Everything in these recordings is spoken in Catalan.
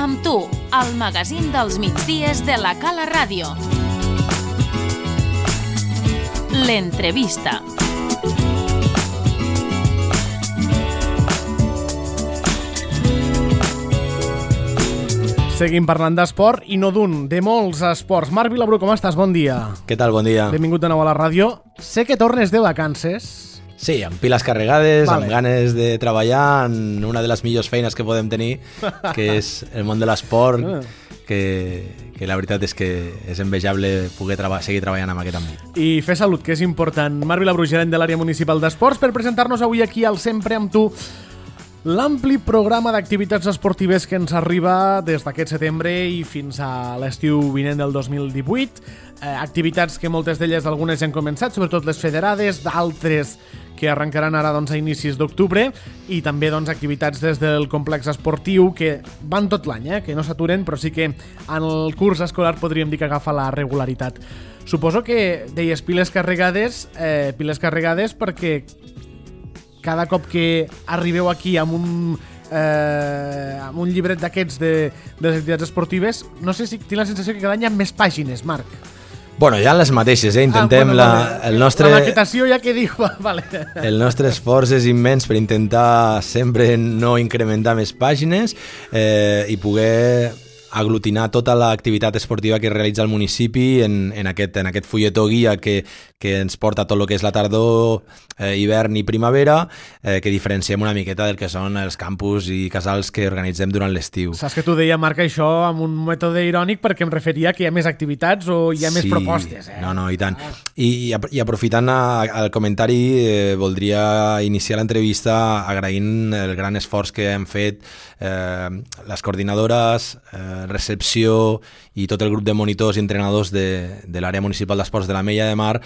amb tu, al magazín dels migdies de la Cala Ràdio. L'entrevista. Seguim parlant d'esport i no d'un, de molts esports. Marc Vilabrú, com estàs? Bon dia. Què tal? Bon dia. Benvingut de nou a la ràdio. Sé que tornes de vacances. Sí, amb piles carregades, amb ganes de treballar en una de les millors feines que podem tenir, que és el món de l'esport, que la veritat és que és envejable poder seguir treballant en aquest àmbit. I fer salut, que és important. Marc Vilabrú, gerent de l'àrea municipal d'esports, per presentar-nos avui aquí al Sempre amb tu l'ampli programa d'activitats esportives que ens arriba des d'aquest setembre i fins a l'estiu vinent del 2018. Activitats que moltes d'elles, algunes ja han començat, sobretot les federades, d'altres que arrencaran ara a inicis d'octubre, i també activitats des del complex esportiu que van tot l'any, que no s'aturen, però sí que en el curs escolar podríem dir que agafa la regularitat. Suposo que deies piles carregades perquè cada cop que arribeu aquí amb un llibret d'aquests de les activitats esportives, no sé si tinc la sensació que cada any hi ha més pàgines, Marc. Bueno, ja les mateixes, intentem el nostre... La maquetació ja que diu, vale. El nostre esforç és immens per intentar sempre no incrementar més pàgines i poder aglutinar tota l'activitat esportiva que realitza el municipi en aquest fulletó guia que ens porta tot el que és la tardor, hivern i primavera, que diferenciem una miqueta del que són els campus i casals que organitzem durant l'estiu. Saps que tu deia, Marc, això amb un mètode irònic perquè em referia que hi ha més activitats o hi ha més propostes. No, i tant. I aprofitant el comentari, voldria iniciar l'entrevista agraint el gran esforç que hem fet les coordinadores, recepció i tot el grup de monitors i entrenadors de l'àrea municipal d'esports de l'Ametlla de Mar,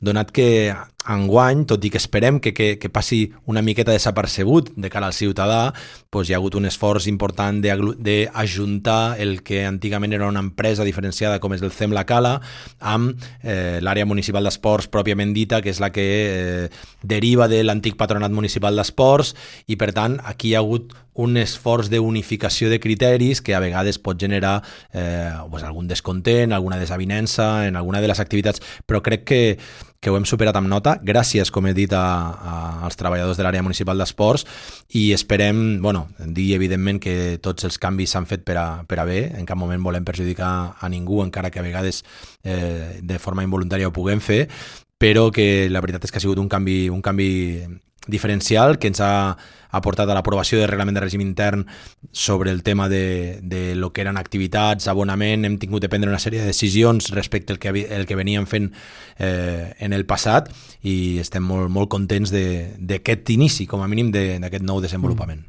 donat que enguany, tot i que esperem que passi una miqueta desapercebut de cara al ciutadà, doncs hi ha hagut un esforç important d'ajuntar el que antigament era una empresa diferenciada com és el CEM La Cala amb l'àrea municipal d'esports pròpiament dita, que és la que deriva de l'antic patronat municipal d'esports, i per tant aquí hi ha hagut un esforç d'unificació de criteris que a vegades pot generar algun descontent, alguna desavinença en alguna de les activitats, però crec que ho hem superat amb nota, gràcies, com he dit, als treballadors de l'àrea municipal d'esports, i esperem, dir evidentment que tots els canvis s'han fet per a bé, en cap moment volem perjudicar a ningú, encara que a vegades de forma involuntària ho puguem fer, però que la veritat és que ha sigut un canvi diferencial que ens ha aportat a l'aprovació del reglament de règim intern sobre el tema de lo que eren activitats, abonament. Hem tingut de prendre una sèrie de decisions respecte al que veníem fent en el passat, i estem molt contents d'aquest inici, com a mínim, d'aquest nou desenvolupament.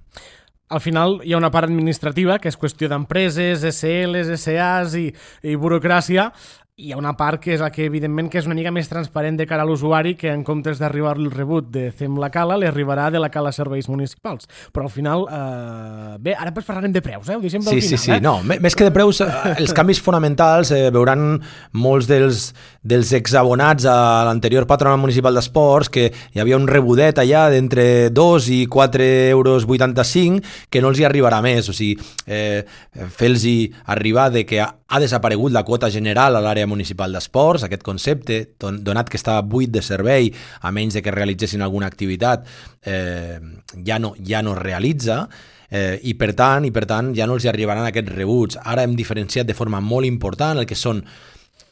Al final hi ha una part administrativa, que és qüestió d'empreses, SLs, SAs i burocràcia. Hi ha una part que és la que, evidentment, que és una mica més transparent de cara a l'usuari, que en comptes d'arribar el rebut de CEM La Cala, li arribarà de La Cala Serveis Municipals. Però al final, bé, ara parlarem de preus, ho deixem pel final. Sí. No, més que de preus, els canvis fonamentals veuran molts dels exabonats a l'anterior patronat municipal d'esports, que hi havia un rebudet allà d'entre 2 i 4,85 € que no els hi arribarà més. O sigui, fer-los arribar de que ha desaparegut la quota general a l'àrea municipal d'esports, aquest concepte, donat que estava buit de servei, a menys de que realitzessin alguna activitat, ja no es realitza, i per tant ja no els arribaran aquests rebuts. Ara hem diferenciat de forma molt important el que són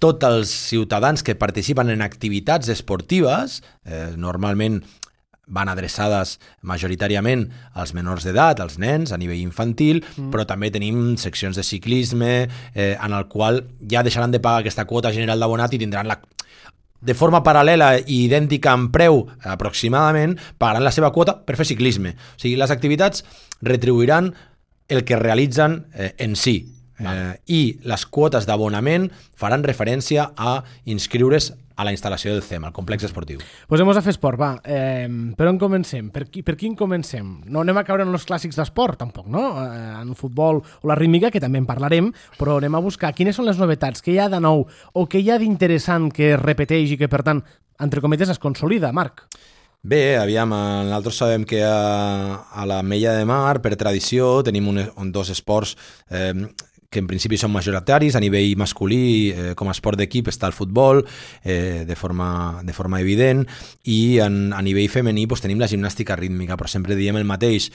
tots els ciutadans que participen en activitats esportives, normalment van adreçades majoritàriament als menors d'edat, als nens, a nivell infantil, però també tenim seccions de ciclisme en el qual ja deixaran de pagar aquesta quota general d'abonat i tindran de forma paral·lela i idèntica en preu aproximadament, pagaran la seva quota per fer ciclisme. O sigui, les activitats retribuiran el que realitzen en si. I les quotes d'abonament faran referència a inscriure's a la instal·lació del CEM, al complex esportiu. Posem-nos a fer esport, va. Per on comencem? Per quin comencem? No anem a caure en els clàssics d'esport, tampoc, no? En futbol o la rítmica, que també en parlarem, però anem a buscar quines són les novetats, què hi ha de nou o què hi ha d'interessant que es repeteix i que, per tant, entre cometes, es consolida, Marc. Bé, aviam, nosaltres sabem que a la Mella de Mar, per tradició, tenim dos esports que en principi són majoritaris. A nivell masculí, com a esport d'equip, està el futbol, de forma evident, i a nivell femení tenim la gimnàstica rítmica, però sempre diem el mateix.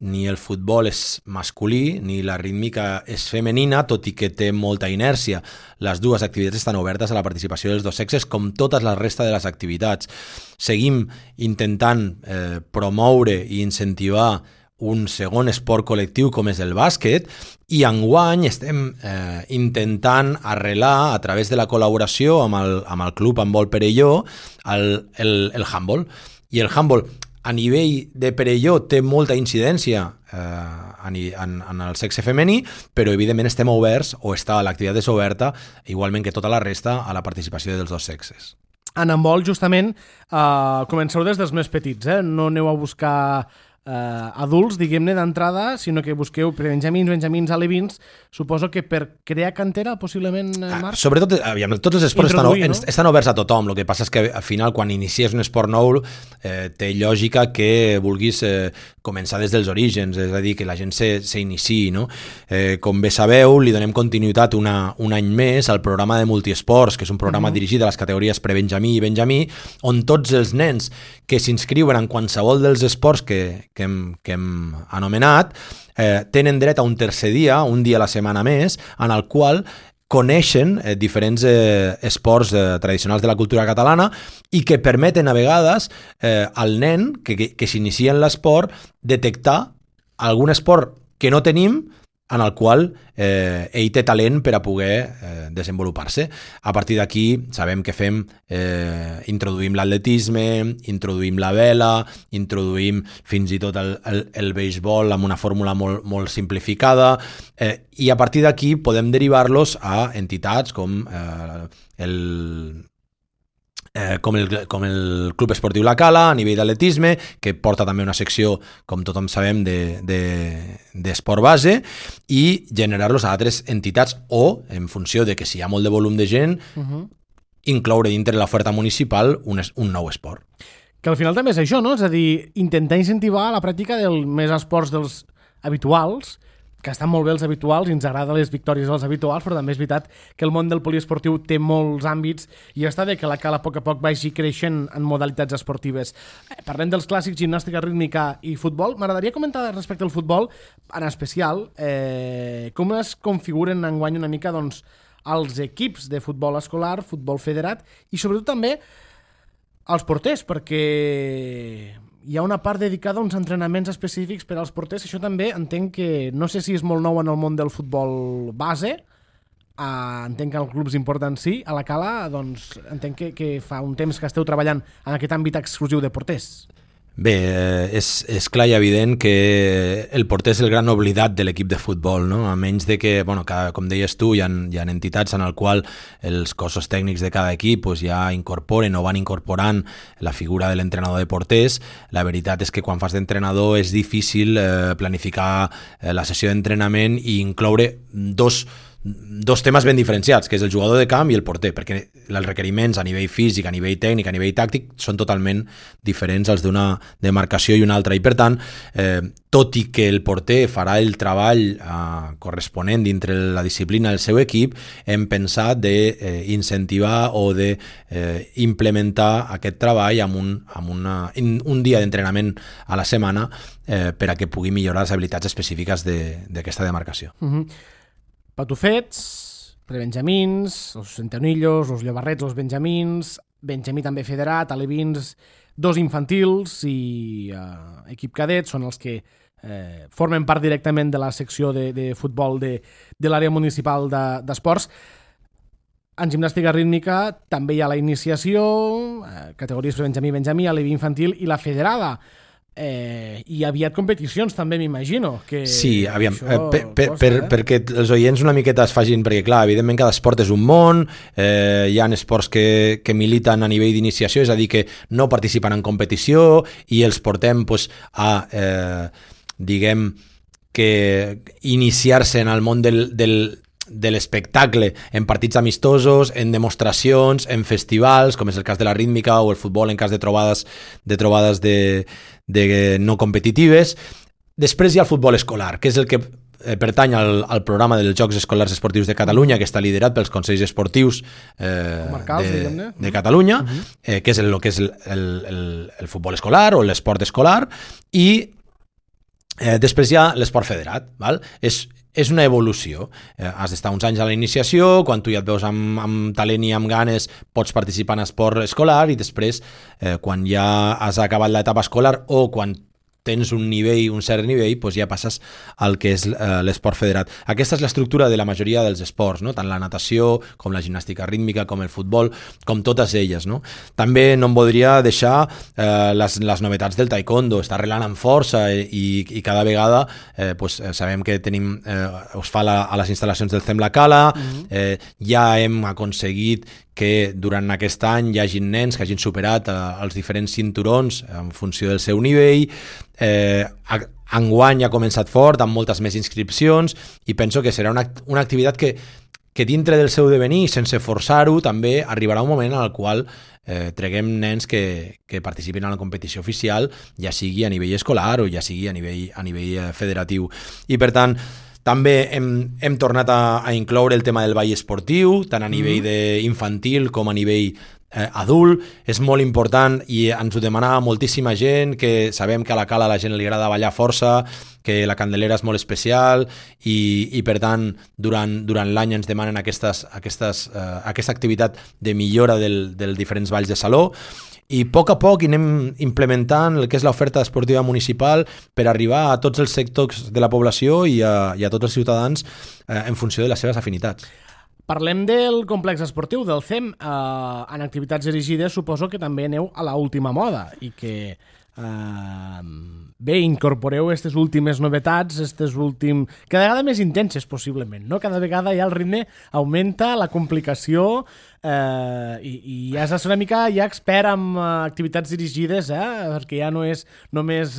Ni el futbol és masculí, ni la rítmica és femenina, tot i que té molta inèrcia. Les dues activitats estan obertes a la participació dels dos sexes, com totes la resta de les activitats. Seguim intentant promoure i incentivar un segon esport col·lectiu com és el bàsquet, i enguany estem intentant arrelar a través de la col·laboració amb el Club Handbol Perelló el handbol. I el handbol a nivell de Perelló té molta incidència en el sexe femení, però evidentment estem oberts, o l'activitat és oberta, igualment que tota la resta, a la participació dels dos sexes. En handbol, justament, comenceu des dels més petits, no aneu a buscar adults, diguem-ne, d'entrada, sinó que busqueu benjamins, alevins, suposo que per crear cantera, possiblement, Marc? Sobretot, aviam, tots els esports estan oberts a tothom. El que passa és que al final, quan inicies un esport nou, té lògica que vulguis començar des dels orígens, és a dir, que la gent s'iniciï, no? Com bé sabeu, li donem continuïtat un any més al programa de multiesports, que és un programa dirigit a les categories prebenjamí i benjamí, on tots els nens que s'inscriuen en qualsevol dels esports que hem anomenat tenen dret a un tercer dia, un dia a la setmana més, en el qual coneixen diferents esports tradicionals de la cultura catalana i que permeten a vegades al nen que s'inicia en l'esport detectar algun esport que no tenim, en el qual ell té talent per a poder desenvolupar-se. A partir d'aquí sabem que introduïm l'atletisme, introduïm la vela, introduïm fins i tot el beisbol amb una fórmula molt simplificada, i a partir d'aquí podem derivar-los a entitats com el Club Esportiu La Cala, a nivell d'atletisme, que porta també una secció, com tothom sabem, d'esport base, i generar-los a altres entitats, o, en funció de que si hi ha molt de volum de gent, incloure dintre l'oferta municipal un nou esport. Que al final també és això, no? És a dir, intentar incentivar la pràctica dels més esports dels habituals, que estan molt bé els habituals i ens agrada les victòries dels habituals, però també és veritat que el món del poliesportiu té molts àmbits i està bé que la Cala a poc vagi creixent en modalitats esportives. Parlem dels clàssics, gimnàstica rítmica i futbol. M'agradaria comentar respecte al futbol, en especial, com es configuren enguany una mica els equips de futbol escolar, futbol federat, i sobretot també els porters, perquè hi ha una part dedicada a uns entrenaments específics per als porters. Això també entenc que, no sé si és molt nou en el món del futbol base, entenc que els clubs importants sí, a la Cala, doncs entenc que fa un temps que esteu treballant en aquest àmbit exclusiu de porters. Bé, és clar i evident que el porter és el gran oblidat de l'equip de futbol, no? A menys de que, com deies tu, hi ha entitats en el qual els cossos tècnics de cada equip ja incorporen o van incorporant la figura de l'entrenador de porters. La veritat és que quan fas d'entrenador és difícil planificar la sessió d'entrenament i incloure dos temes ben diferenciats, que és el jugador de camp i el porter, perquè els requeriments a nivell físic, a nivell tècnic, a nivell tàctic són totalment diferents als d'una demarcació i una altra, i per tant, tot i que el porter farà el treball corresponent dintre la disciplina del seu equip, hem pensat d'incentivar o d'implementar aquest treball amb un dia d'entrenament a la setmana per a que pugui millorar les habilitats específiques d'aquesta demarcació. Patufets, prebenjamins, els centenillos, els llobarrets, els benjamins, benjamí també federat, alevins, dos infantils i equip cadet són els que formen part directament de la secció de futbol de l'àrea municipal d'esports. En gimnàstica rítmica també hi ha la iniciació, categories prebenjamí, aleví infantil i la federada. I aviat competicions també m'imagino que sí, aviam, perquè els oients una miqueta es facin, perquè clar, evidentment cada esport és un món, hi ha esports que militen a nivell d'iniciació, és a dir, que no participen en competició i els portem a diguem que iniciar-se en el món de l'espectacle en partits amistosos, en demostracions, en festivals, com és el cas de la rítmica o el futbol en cas de trobades de no competitives. Després hi ha el futbol escolar, que és el que pertany al programa dels Jocs Escolars Esportius de Catalunya, que està liderat pels Consells Esportius de Catalunya, que és el que és el futbol escolar o l'esport escolar, i després hi ha l'esport federat. Val? És una evolució. Has d'estar uns anys a la iniciació, quan tu ja et veus amb talent i amb ganes pots participar en esport escolar, i després, quan ja has acabat l'etapa escolar o quan tens un cert nivell, doncs ja passes al que és l'esport federat. Aquesta és l'estructura de la majoria dels esports, no? Tant la natació, com la gimnàstica rítmica, com el futbol, com totes elles. No? També no em voldria deixar les novetats del taekwondo. Està arrelant amb força i cada vegada sabem que tenim, us fa a les instal·lacions del CEM La Cala, ja hem aconseguit que durant aquest any hi hagi nens que hagin superat els diferents cinturons en funció del seu nivell. Enguany ha començat fort, amb moltes més inscripcions, i penso que serà una activitat que dintre del seu devenir, sense forçar-ho, també arribarà un moment en el qual treguem nens que participin en la competició oficial, ja sigui a nivell escolar o ja sigui a nivell federatiu. I per tant, també hem tornat a incloure el tema del ball esportiu, tant a nivell infantil com a nivell adult. És molt important i ens ho demanava moltíssima gent, que sabem que a la Cala a la gent li agrada ballar força, que la Candelera és molt especial i per tant durant l'any ens demanen aquesta activitat de millora dels diferents balls de saló. I a poc anem implementant el que és l'oferta esportiva municipal per arribar a tots els sectors de la població i a tots els ciutadans en funció de les seves afinitats. Parlem del complex esportiu del CEM. En activitats dirigides suposo que també aneu a l'última moda i que incorporeu aquestes últimes novetats, cada vegada més intenses possiblement, no? Cada vegada ja el ritme augmenta, la complicació, i ja has de ser una mica expert en activitats dirigides, perquè ja no és només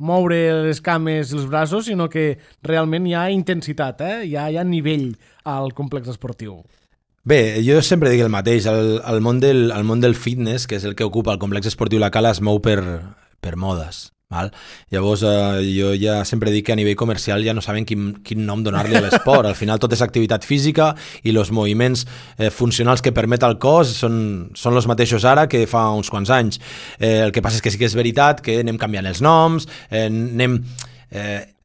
moure les cames i els braços, sinó que realment hi ha intensitat, hi ha nivell al complex esportiu. Bé, jo sempre dic el mateix, el món del fitness, que és el que ocupa el complex esportiu La Cala, es mou per modes. Val? Llavors jo ja sempre dic que a nivell comercial ja no saben quin nom donar-li a l'esport. Al final tot és activitat física i els moviments funcionals que permet el cos són els mateixos ara que fa uns quants anys. El que passa és que sí que és veritat que anem canviant els noms, anem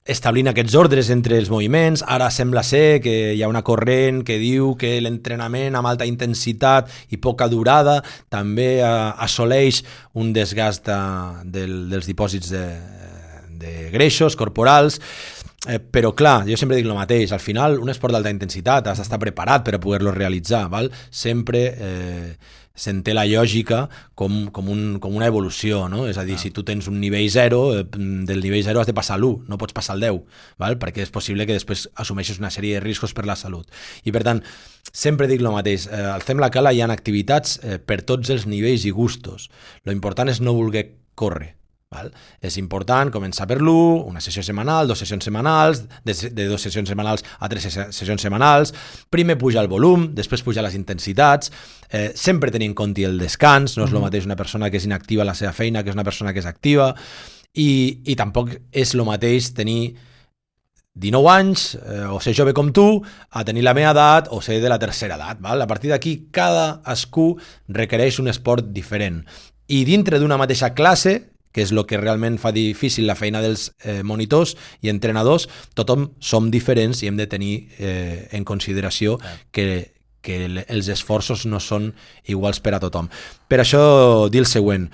establint aquests ordres entre els moviments. Ara sembla ser que hi ha una corrent que diu que l'entrenament amb alta intensitat i poca durada també assoleix un desgast dels dipòsits de greixos corporals. Però clar, jo sempre dic el mateix, al final un esport d'alta intensitat has d'estar preparat per a poder-lo realitzar, val? Sempre s'entén la lògica com una evolució, no? És a dir, si tu tens un nivell 0, del nivell 0 has de passar a l'1, no pots passar al 10, val? Perquè és possible que després assumeixis una sèrie de riscos per la salut. I per tant, sempre dic el mateix, al CEM La Cala hi ha activitats per tots els nivells i gustos. Lo important és no voler córrer. Val? És important començar per l'1, una sessió setmanal, 2 sessions setmanals, de 2 sessions setmanals a 3 sessions setmanals. Primer pujar el volum, després pujar les intensitats, sempre tenir en compte el descans. No és el mateix una persona que és inactiva a la seva feina que és una persona que és activa, i tampoc és el mateix tenir 19 anys o ser jove com tu a tenir la meva edat o ser de la tercera edat. Val? A partir d'aquí cadascú requereix un esport diferent, i dintre d'una mateixa classe, que és el que realment fa difícil la feina dels monitors i entrenadors, tothom som diferents i hem de tenir en consideració que els esforços no són iguals per a tothom. Per això dir el següent,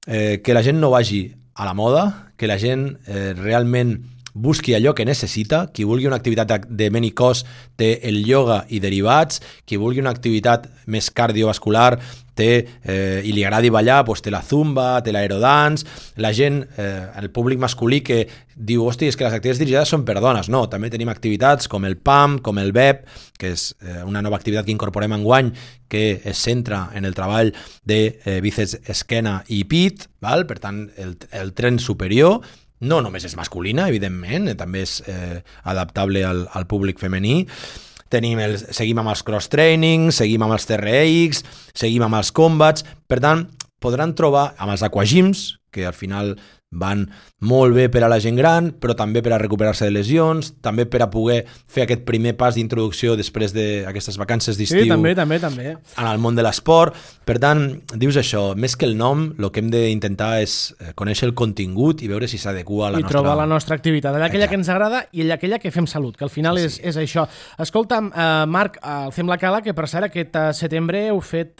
que la gent no vagi a la moda, que la gent realment busqui allò que necessita. Qui vulgui una activitat de ment i cos té el ioga i derivats, qui vulgui una activitat més cardiovascular i li agradi ballar, doncs té la zumba, té l'aerodance. La gent, el públic masculí que diu, hosti, és que les activitats dirigides són per dones. No, també tenim activitats com el PAM, com el BEP, que és una nova activitat que incorporem enguany, que es centra en el treball de bíceps, esquena i pit, val? Per tant, el tren superior. No només és masculina, evidentment, també és adaptable al públic femení. seguim amb els cross-training, seguim amb els TRX, seguim amb els combats. Per tant, podran trobar amb els aquagyms, que al final van molt bé per a la gent gran, però també per a recuperar-se de lesions, també per a poder fer aquest primer pas d'introducció després d'aquestes vacances d'estiu també. en el món de l'esport. Per tant, dius això, més que el nom, el que hem d'intentar és conèixer el contingut i veure si s'adequa a la nostra... I trobar la nostra activitat, aquella que ens agrada i aquella que fem salut, que al final és això. Escolta'm, Marc, el Fem la Cala, que per cert aquest setembre heu fet...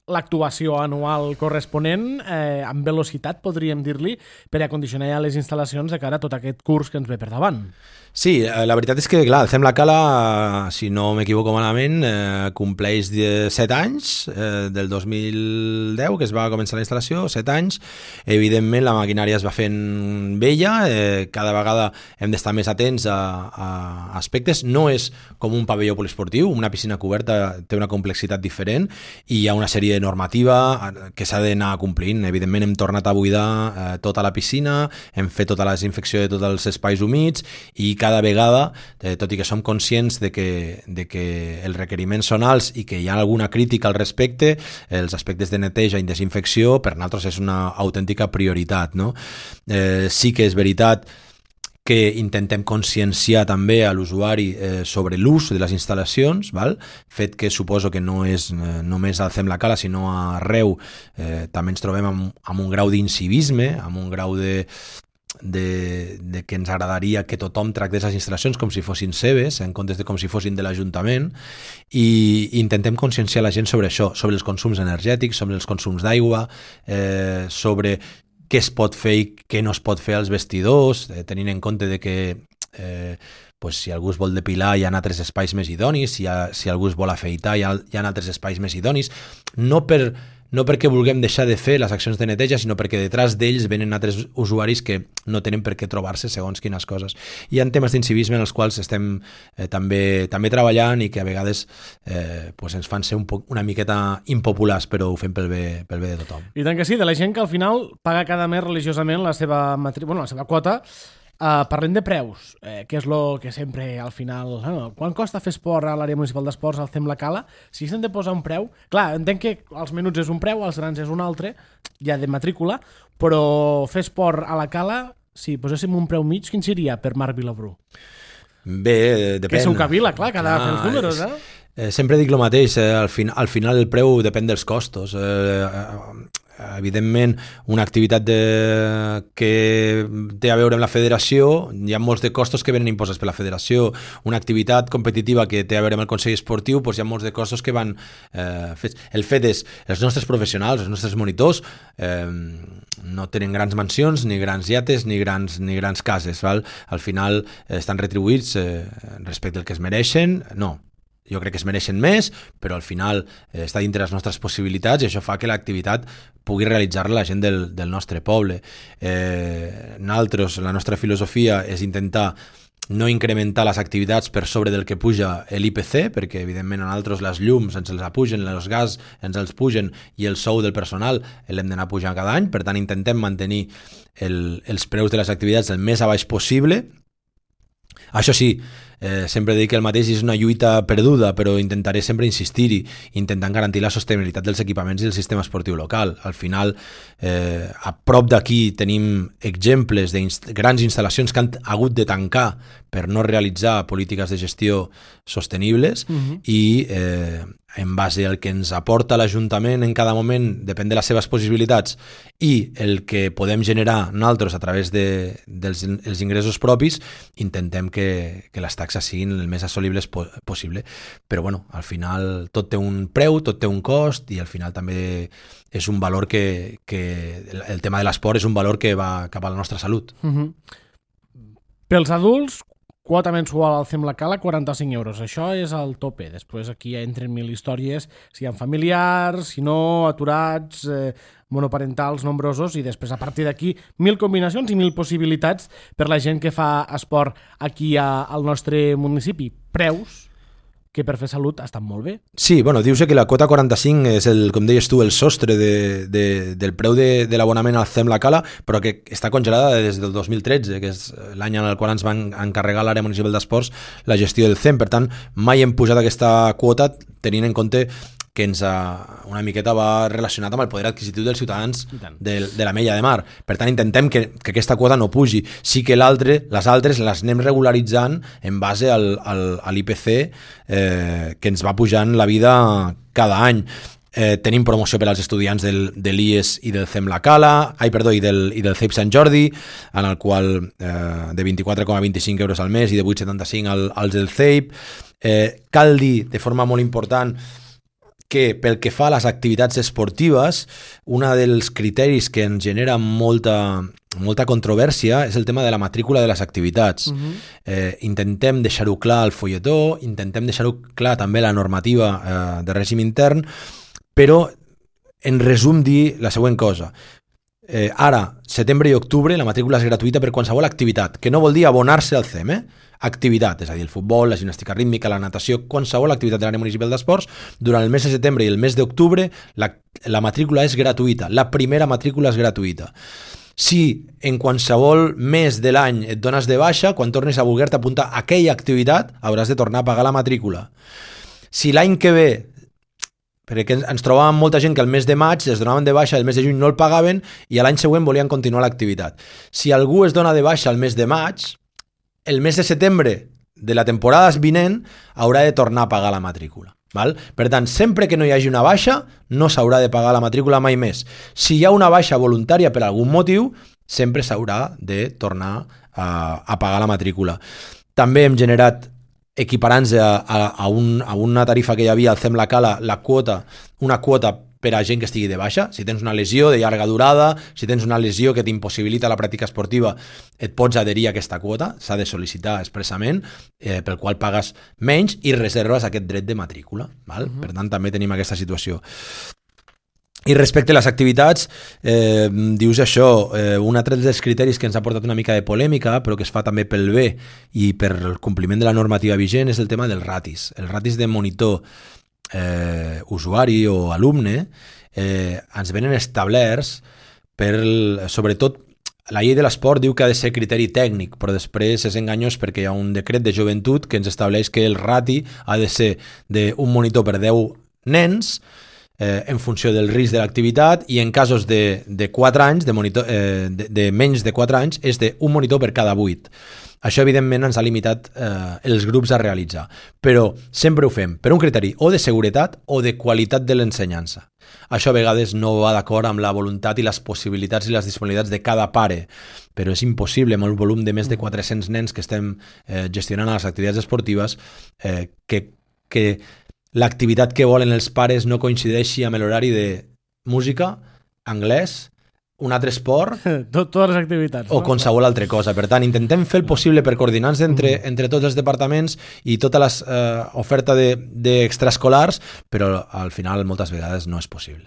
l'actuació anual corresponent amb velocitat, podríem dir-li, per a condicionar ja les instal·lacions de cara a tot aquest curs que ens ve per davant. Sí, la veritat és que, clar, el Fem la Cala, si no m'equivoco malament, compleix 7 anys, del 2010, que es va començar la instal·lació, 7 anys. Evidentment, la maquinària es va fent vella, cada vegada hem d'estar més atents a aspectes. No és com un pavelló poliesportiu, una piscina coberta té una complexitat diferent i hi ha una sèrie de normativa que s'ha d'anar complint. Evidentment, hem tornat a buidar tota la piscina, hem fet tota la desinfecció de tots els espais humits i cada vegada, tot i que som conscients de que els requeriments són alts i que hi ha alguna crítica al respecte, els aspectes de neteja i desinfecció per nosaltres és una autèntica prioritat, no? Sí que és veritat que intentem conscienciar també a l'usuari sobre l'ús de les instal·lacions, val? Fet que suposo que no és només al Fem la Cala, sinó arreu també ens trobem amb un grau d'incivisme, amb un grau de que ens agradaria que tothom tractés les instal·lacions com si fossin seves, en comptes de com si fossin de l'Ajuntament, i intentem conscienciar la gent sobre això, sobre els consums energètics, sobre els consums d'aigua, sobre què es pot fer i què no es pot fer als vestidors, tenint en compte de que si algú es vol depilar hi ha altres espais més idonis, si algú es vol afeitar hi ha altres espais més idonis, no perquè vulguem deixar de fer les accions de neteja, sinó perquè detrás d'ells venen altres usuaris que no tenen per què trobar-se segons quines coses. Hi ha temes d'incivisme en els quals estem també treballant i que a vegades ens fan ser una miqueta impopulars, però ho fem pel bé de tothom. I tant que sí, de la gent que al final paga cada mes religiosament la seva quota. Parlem de preus, que és el que sempre al final... Quan costa fer esport a l'àrea municipal d'esports al Fem la Cala? Si s'han de posar un preu... Clar, entenc que als menuts és un preu, als grans és un altre, ja de matrícula, però fer esport a la Cala, si poséssim un preu mig, quin seria per Marc Vilabrú? Bé, depèn. Que sou Cavila, clar, cada fer els números, sempre dic el mateix, al final el preu depèn dels costos. Evidentment, una activitat que té a veure amb la federació, hi ha molts de costos que venen imposats per la federació. Una activitat competitiva que té a veure amb el Consell Esportiu, hi ha molts de costos que van fets. El fet és, els nostres professionals, els nostres monitors, no tenen grans mansions, ni grans iates, ni grans cases. Val? Al final estan retribuïts respecte al que es mereixen, no. Jo crec que es mereixen més, però al final està dintre les nostres possibilitats i això fa que l'activitat pugui realitzar-la la gent del nostre poble. Nosaltres, la nostra filosofia és intentar no incrementar les activitats per sobre del que puja l'IPC, perquè evidentment a nosaltres les llums ens els apugen, els gas ens els pugen i el sou del personal l'hem d'anar pujant cada any, per tant intentem mantenir els preus de les activitats el més a baix possible. Això sí, sempre dic que el mateix és una lluita perduda, però intentaré sempre insistir-hi, intentant garantir la sostenibilitat dels equipaments i del sistema esportiu local. Al final, a prop d'aquí tenim exemples de grans instal·lacions que han hagut de tancar per no realitzar polítiques de gestió sostenibles i en base al que ens aporta l'Ajuntament en cada moment, depèn de les seves possibilitats, i el que podem generar nosaltres a través dels ingressos propis, intentem que les taxes siguin el més assolibles possible. Però bueno, al final tot té un preu, tot té un cost i al final també és un valor que el tema de l'esport és un valor que va cap a la nostra salut. Pels adults, quota mensual al Fem la Cala, 45 euros. Això és el tope. Després aquí ja entren 1000 històries, si hi ha familiars, si no, aturats, monoparentals nombrosos, i després a partir d'aquí 1000 combinacions i 1000 possibilitats per la gent que fa esport aquí al nostre municipi. Preus? que per fer salut estan molt bé. Sí, bueno, dius que la quota 45 és, com deies tu, el sostre del preu de l'abonament al CEM La Cala, però que està congelada des del 2013, que és l'any en el qual ens van encarregar l'àrea municipal d'esports la gestió del CEM. Per tant, mai hem pujat aquesta quota tenint en compte que ens una miqueta va relacionat amb el poder adquisitiu dels ciutadans de l'Ametlla de Mar. Per tant, intentem que aquesta quota no pugi. Sí que les altres les anem regularitzant en base a l'IPC que ens va pujant la vida cada any. Tenim promoció per als estudiants de l'IES i del CEM La Cala, i del CEIP Sant Jordi, en el qual de 24,25 euros al mes i de 8,75 als del CEIP. Cal dir, de forma molt important, que pel que fa a les activitats esportives, un dels criteris que ens genera molta controvèrsia és el tema de la matrícula de les activitats. Intentem deixar-ho clar al folletó, intentem deixar-ho clar també a la normativa de règim intern, però en resum dir la següent cosa. Ara, setembre i octubre, la matrícula és gratuïta per qualsevol activitat, que no vol dir abonar-se al CEM, activitat, és a dir, el futbol, la gimnàstica rítmica, la natació, qualsevol activitat de l'àrea municipal d'esports, durant el mes de setembre i el mes d'octubre la matrícula és gratuïta, la primera matrícula és gratuïta. Si en qualsevol mes de l'any et dones de baixa, quan tornes a voler-te apuntar a aquella activitat, hauràs de tornar a pagar la matrícula. Si l'any que ve, perquè ens trobàvem molta gent que el mes de maig es donaven de baixa, el mes de juny no el pagaven i l'any següent volien continuar l'activitat. Si algú es dona de baixa el mes de maig, el mes de setembre de la temporada vinent haurà de tornar a pagar la matrícula. Val? Per tant, sempre que no hi hagi una baixa, no s'haurà de pagar la matrícula mai més. Si hi ha una baixa voluntària per algun motiu, sempre s'haurà de tornar a pagar la matrícula. També hem generat, equiparant-se a una tarifa que hi havia al CEM La Cala, una quota per a gent que estigui de baixa. Si tens una lesió de llarga durada, si tens una lesió que t'impossibilita la pràctica esportiva, et pots adherir a aquesta quota, s'ha de sol·licitar expressament, pel qual pagues menys i reserves aquest dret de matrícula. Val? Per tant, també tenim aquesta situació. I respecte a les activitats, dius això, un altre dels criteris que ens ha portat una mica de polèmica, però que es fa també pel bé i per el compliment de la normativa vigent, és el tema dels ratis. El ratis de monitor usuari o alumne ens venen establerts sobretot la llei de l'esport diu que ha de ser criteri tècnic, però després és enganyós perquè hi ha un decret de joventut que ens estableix que el rati ha de ser d'un monitor per 10 nens en funció del risc de l'activitat i en casos de 4 anys, de menys de 4 anys, és d'un monitor per cada 8. Això, evidentment, ens ha limitat els grups a realitzar. Però sempre ho fem per un criteri o de seguretat o de qualitat de l'ensenyança. Això a vegades no va d'acord amb la voluntat i les possibilitats i les disponibilitats de cada pare, però és impossible amb el volum de més de 400 nens que estem gestionant a les activitats esportives que l'activitat que volen els pares no coincideixi amb l'horari de música, anglès, un altre esport totes les activitats o qualsevol altra cosa. Per tant, intentem fer el possible per coordinar-nos entre tots els departaments i tota l'oferta d'extraescolars, però al final moltes vegades no és possible.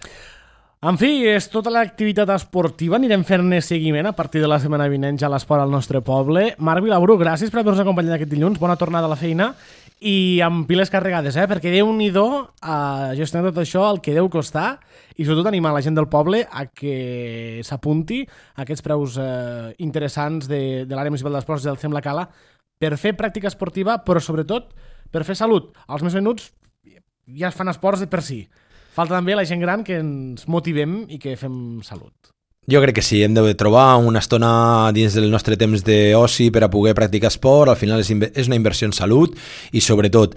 En fi, és tota l'activitat esportiva. Anirem fent-ne seguiment a partir de la setmana vinent ja a l'esport al nostre poble. Marc Vilabru, gràcies per haver-nos acompanyat aquest dilluns. Bona tornada a la feina i amb piles carregades, perquè Déu-n'hi-do a gestionar tot això, el que deu costar, i sobretot animar la gent del poble a que s'apunti a aquests preus interessants de l'àrea municipal d'esports del CEM La Cala per fer pràctica esportiva, però sobretot per fer salut. Els més menuts ja es fan esports per si. Falta també la gent gran que ens motivem i que fem salut. Jo crec que sí, hem de trobar una estona dins del nostre temps d'oci per a poder practicar esport. Al final és una inversió en salut i sobretot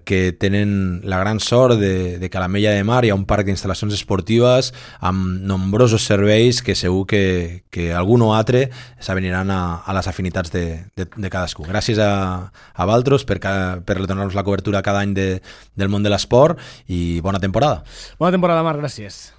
que tenen la gran sort de que a l'Ametlla de Mar hi ha un parc d'instal·lacions esportives amb nombrosos serveis que segur que algun o altre s'aveniran a les afinitats de cadascú. Gràcies a Valtros per donar-nos la cobertura cada any del món de l'esport i bona temporada. Bona temporada, Marc, gràcies.